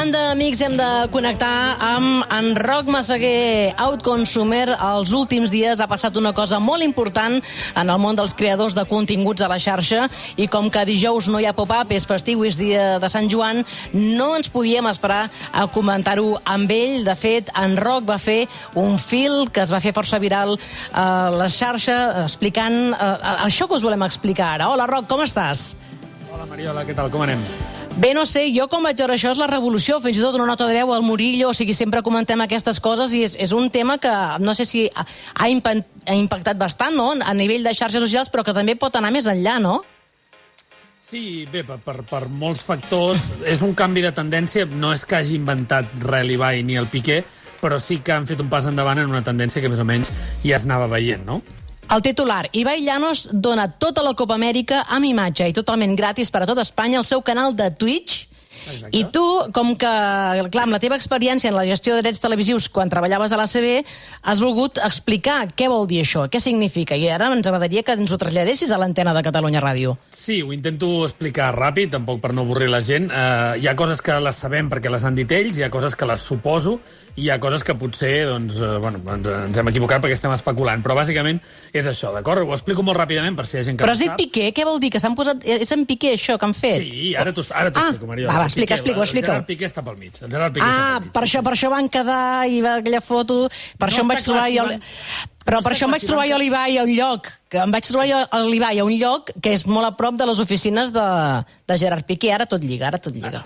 Parlant d'amics, hem de connectar amb en Roc Massaguer, Outconsumer. Els últims dies ha passat una cosa molt important en el món dels creadors de continguts a la xarxa, i com que dijous no hi ha pop-up, és festiu, és dia de Sant Joan, no ens podíem esperar a comentar-ho amb ell. De fet, en Roc va fer un fil que es va fer força viral a la xarxa explicant això que us volem explicar ara. Hola, Roc, com estàs? Hola, Mariola, què tal? Com anem? Bé, no sé, jo com vaig veure això és la revolució, fins i tot una nota de veu al Murillo, o sigui, sempre comentem aquestes coses i és un tema que no sé si ha impactat bastant, no?, a nivell de xarxes socials, però que també pot anar més enllà, no? Sí, bé, per molts factors. És un canvi de tendència, no és que hagi inventat res l'Ibai ni el Piqué, però sí que han fet un pas endavant en una tendència que més o menys ja es anava veient, no? El titular: Ibai Llanos dona tota la Copa Amèrica amb imatge i totalment gratis per a tot Espanya al seu canal de Twitch. Exacte. I tu, com que, clar, amb la teva experiència en la gestió de drets televisius quan treballaves a l'ACB, has volgut explicar què vol dir això, què significa, i ara ens agradaria que ens ho traslladessis a l'antena de Catalunya Ràdio. Sí, ho intento explicar ràpid, tampoc per no avorrir la gent. Hi ha coses que les sabem perquè les han dit ells, hi ha coses que les suposo, i hi ha coses que potser doncs, ens hem equivocat perquè estem especulant, però bàsicament és això, d'acord? Ho explico molt ràpidament per si hi ha gent que però no has dit Piqué, què vol dir? Que s'han posat... És en Piqué això que han fet? Sí, ara t'ho explico, Mariola. Explica-ho. El Gerard Piqué està pel mig. Per això van quedar i va aquella foto, per això em vaig trobar jo... Però per això em vaig trobar jo l'Ibai a un lloc, que és molt a prop de les oficines de Gerard Piqué. Ara tot lliga.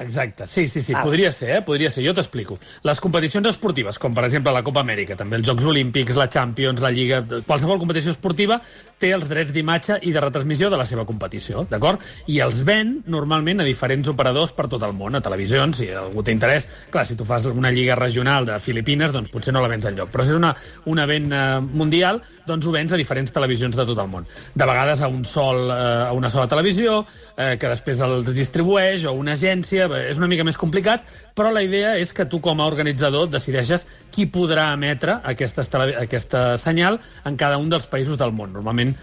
Exacte, sí, podria ser, jo t'explico. Les competicions esportives, com per exemple la Copa Amèrica, també els Jocs Olímpics, la Champions, la Lliga, qualsevol competició esportiva té els drets d'imatge i de retransmissió de la seva competició, d'acord? I els ven normalment a diferents operadors per tot el món, a televisions, si algú té interès. Clar, si tu fas una lliga regional de Filipines, doncs potser no la vens enlloc, però si és un event mundial, doncs ho vens a diferents televisions de tot el món. De vegades a una sola televisió, que després els distribueix, o una agència. És una mica més complicat, però la idea és que tu com a organitzador decideixes qui podrà emetre aquesta senyal en cada un dels països del món. Normalment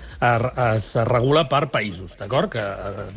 es regula per països, d'acord? Que,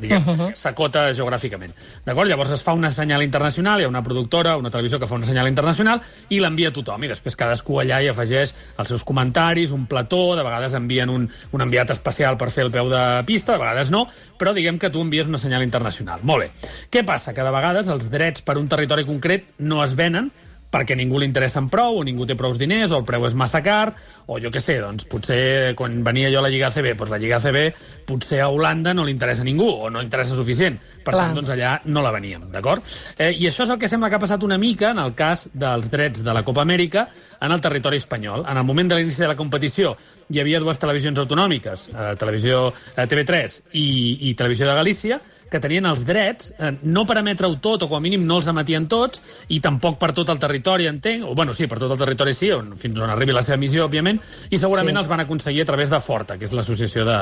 diguem, s'acota geogràficament. D'acord? Llavors es fa una senyal internacional, hi ha una productora, una televisió que fa una senyal internacional i l'envia a tothom, i després cadascú allà hi afegeix els seus comentaris, un plató, de vegades envien un enviat especial per fer el peu de pista, de vegades no, però diguem que tu envies una senyal internacional. Molt bé. Què passa? Que de vegades els drets per un territori concret no es venen perquè ningú li interessen prou, o ningú té prous diners, o el preu és massa car, o jo què sé, doncs potser quan venia jo a la Lliga ACB, doncs la Lliga ACB potser a Holanda no li interessa a ningú, o no interessa suficient. Per tant, doncs allà no la veníem, d'acord? I això és el que sembla que ha passat una mica en el cas dels drets de la Copa Amèrica en el territori espanyol. En el moment de l'inici de la competició hi havia dues televisions autonòmiques, televisió TV3 i Televisió de Galícia, que tenien els drets, no per emetre-ho tot, o com a mínim no els emetien tots, i tampoc per tot el territori, entenc, o bueno, sí, per tot el territori sí, fins on arribi la seva missió, òbviament, i segurament els van aconseguir a través de Forta, que és l'associació de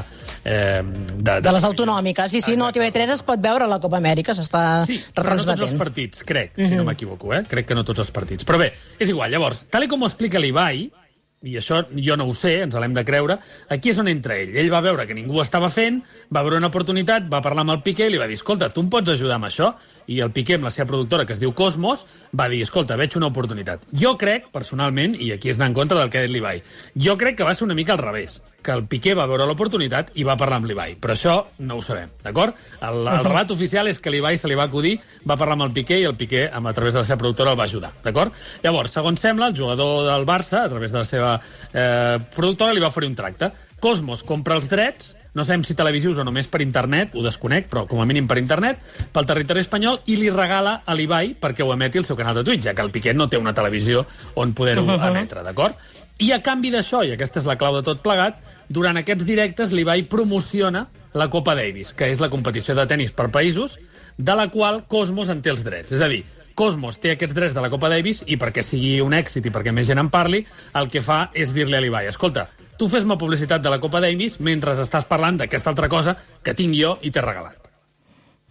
les autonòmiques. Sí, no, TV3 es pot veure a la Copa Amèrica, s'està retransmetent. Però no tots els partits, crec, si no m'equivoco, crec que no tots els partits. Però bé, és igual, llavors, tal com ho explica l'Ibai, i això jo no ho sé, ens l'hem de creure, aquí és on entra ell. Ell va veure que ningú ho estava fent, va veure una oportunitat, va parlar amb el Piqué i li va dir, escolta, tu em pots ajudar amb això? I el Piqué, amb la seva productora, que es diu Cosmos, va dir, escolta, veig una oportunitat. Jo crec, personalment, i aquí és anar en contra del que ha dit l'Ibai, jo crec que va ser una mica al revés, que el Piqué va veure l'oportunitat i va parlar amb l'Ibai. Però això no ho sabem, d'acord? El relat oficial és que l'Ibai se li va acudir, va parlar amb el Piqué i el Piqué, a través de la seva productora, el va ajudar, d'acord? Llavors, segons sembla, el jugador del Barça, a través de la seva productora, li va oferir un tracte. Cosmos compra els drets, no sabem si televisius o només per internet, ho desconec, però com a mínim per internet, pel territori espanyol, i li regala a l'Ibai perquè ho emeti al seu canal de Twitch, ja que el Piqué no té una televisió on poder-ho emetre, d'acord? I a canvi d'això, i aquesta és la clau de tot plegat, durant aquests directes l'Ibai promociona la Copa Davis, que és la competició de tenis per països, de la qual Cosmos en té els drets. És a dir, Cosmos té aquests drets de la Copa Davis i perquè sigui un èxit i perquè més gent en parli, el que fa és dir-li a l'Ibai, escolta, tu fes-me publicitat de la Copa Davis mentre estàs parlant d'aquesta altra cosa que tinc jo i t'he regalat.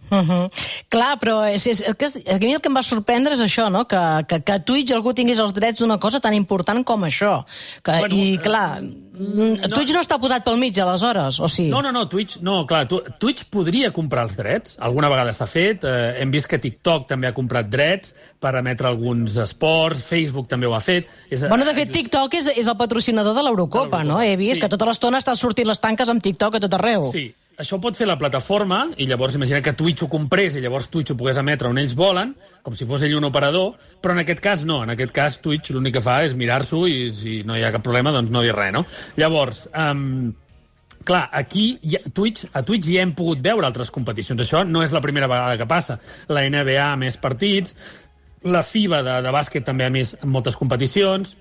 Clar, però a mi el que em va sorprendre és això, no? Que a Twitch algú tingués els drets d'una cosa tan important com això. I, clar, Twitch no està posat pel mig, aleshores, o sí? No, Twitch podria comprar els drets. Alguna vegada s'ha fet. Hem vist que TikTok també ha comprat drets per emetre alguns esports. Facebook també ho ha fet. Bueno, de fet, TikTok és el patrocinador de l'Eurocopa, no? He vist que tota l'estona està sortint les tanques amb TikTok a tot arreu. Sí. Això ho pot fer la plataforma, i llavors imagina que Twitch ho comprés i llavors Twitch ho pogués emetre on ells volen, com si fos ell un operador, però en aquest cas no. En aquest cas Twitch l'únic que fa és mirar-s'ho i si no hi ha cap problema, doncs no dir res, no? Llavors, clar, aquí a Twitch ja hem pogut veure altres competicions. Això no és la primera vegada que passa. La NBA ha més partits, la FIBA de bàsquet també ha més moltes competicions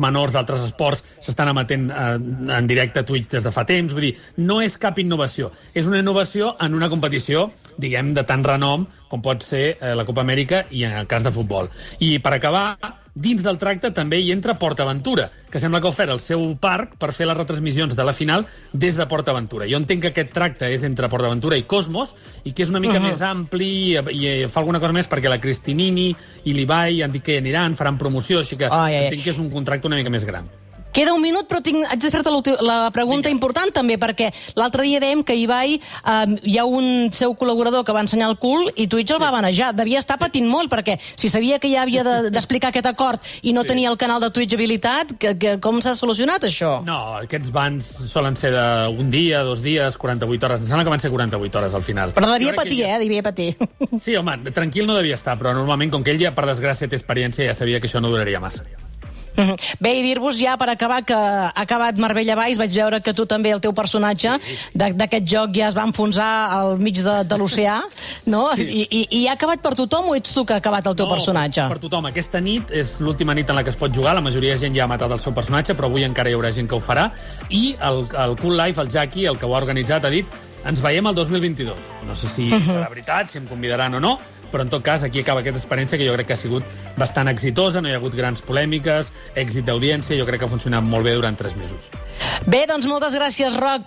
menors d'altres esports s'estan emetent en directe a Twitch des de fa temps. Vull dir, no és cap innovació. És una innovació en una competició, diguem, de tant renom com pot ser la Copa Amèrica i en el cas de futbol. I per acabar, dins del tracte també hi entra PortAventura, que sembla que ha ofert el seu parc per fer les retransmissions de la final des de PortAventura. Jo entenc que aquest tracte és entre PortAventura i Cosmos i que és una mica més ampli i fa alguna cosa més perquè la Cristinini i l'Ibai han dit que hi aniran, faran promoció, així que entenc que és un contracte una mica més gran. Queda un minut, però haig de fer-te la pregunta important també, perquè l'altre dia dèiem que Ibai hi ha un seu col·laborador que va ensenyar el cul i Twitch el va banejar. Devia estar patint molt, perquè si sabia que ja havia d'explicar aquest acord i no tenia el canal de Twitch habilitat, com s'ha solucionat això? No, aquests bans solen ser d'un dia, 2 dies, 48 hores. Em sembla que van ser 48 hores al final. Però devia patir, devia patir. Sí, home, tranquil no devia estar, però normalment, com que ell ja, per desgràcia, té experiència, ja sabia que això no duraria massa. Bé, i dir-vos ja per acabar que ha acabat Marbella Vice. Vaig veure que tu també, el teu personatge d'aquest joc ja es va enfonsar al mig de l'oceà, no? I ha acabat per tothom o ets tu que ha acabat el teu personatge? Per tothom. Aquesta nit és l'última nit en la que es pot jugar. La majoria de gent ja ha matat el seu personatge, però avui encara hi haurà gent que ho farà. I el Cool Life, el Jackie, el que ho ha organitzat, ha dit: ens veiem el 2022. No sé si serà veritat, si em convidaran o no, però en tot cas aquí acaba aquesta experiència que jo crec que ha sigut bastant exitosa, no hi ha hagut grans polèmiques, èxit d'audiència, jo crec que ha funcionat molt bé durant 3 mesos. Bé, doncs moltes gràcies, Roc.